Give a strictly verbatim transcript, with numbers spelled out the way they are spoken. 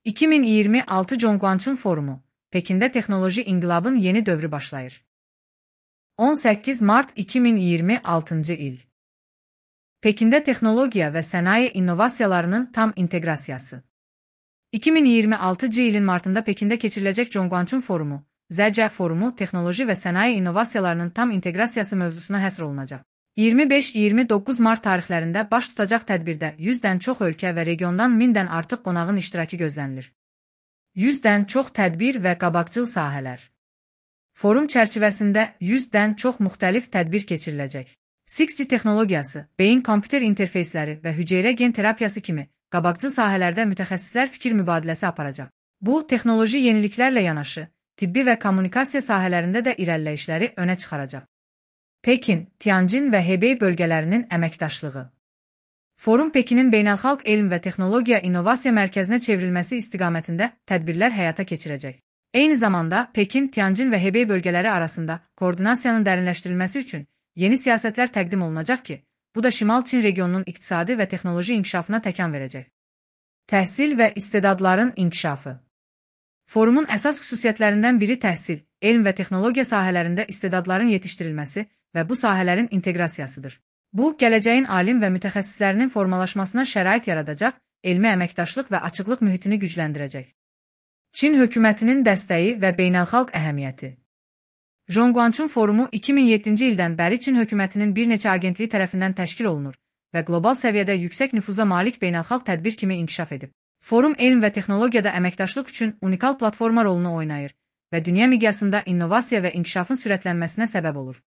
iki min iyirmi altı Zhongguancun Forumu, Pekində Texnoloji İnqilabın yeni dövrü başlayır. on səkkiz mart iki min iyirmi altıncı il. Pekində texnologiya və sənaye innovasiyalarının tam inteqrasiyası. iki min iyirmi altıncı ilin martında Pekində keçiriləcək Zhongguancun Forumu, Z C Forumu, texnoloji və sənaye innovasiyalarının tam inteqrasiyası mövzusuna həsr olunacaq. iyirmi beş iyirmi doqquz mart tarixlərində baş tutacaq tədbirdə yüzdən çox ölkə və regiondan mindən artıq qonağın iştirakı gözlənilir. yüzdən çox tədbir və qabaqcıl sahələr. Forum çərçivəsində yüzdən çox müxtəlif tədbir keçiriləcək. six G texnologiyası, beyin kompüter interfeysləri və hüceyrə gen terapiyası kimi qabaqcıl sahələrdə mütəxəssislər fikir mübadiləsi aparacaq. Bu, texnoloji yeniliklərlə yanaşı, tibbi və kommunikasiya sahələrində də irəliləyişləri önə çıxaracaq. Pekin, Tianjin və Hebey bölgələrinin əməkdaşlığı. Forum Pekinin beynəlxalq elm və texnologiya innovasiya mərkəzinə çevrilməsi istiqamətində tədbirlər həyata keçirəcək. Eyni zamanda Pekin, Tianjin və Hebey bölgələri arasında koordinasiyanın dərinləşdirilməsi üçün yeni siyasətlər təqdim olunacaq ki, bu da Şimal Çin regionunun iqtisadi və texnoloji inkişafına təkan verəcək. Təhsil və istedadların inkişafı. Forumun əsas xüsusiyyətlərindən biri təhsil, elm və texnologiya sahələrində istedadların yetişdirilməsi və bu sahələrin inteqrasiyasıdır. Bu, gələcəyin alim və mütəxəssislərinin formalaşmasına şərait yaradacaq, elmi əməkdaşlıq və açıqlıq mühitini gücləndirəcək. Çin hökumətinin dəstəyi və beynəlxalq əhəmiyyəti. Zhongguancun Forumu iki min yeddinci ildən bəri Çin hökumətinin bir neçə agentliyi tərəfindən təşkil olunur və qlobal səviyyədə yüksək nüfuza malik beynəlxalq tədbir kimi inkişaf edib. Forum elm və texnologiyada əməkdaşlıq üçün unikal platforma rolunu oynayır və dünya miqyasında innovasiya və inkişafın sürətlənməsinə səbəb olur.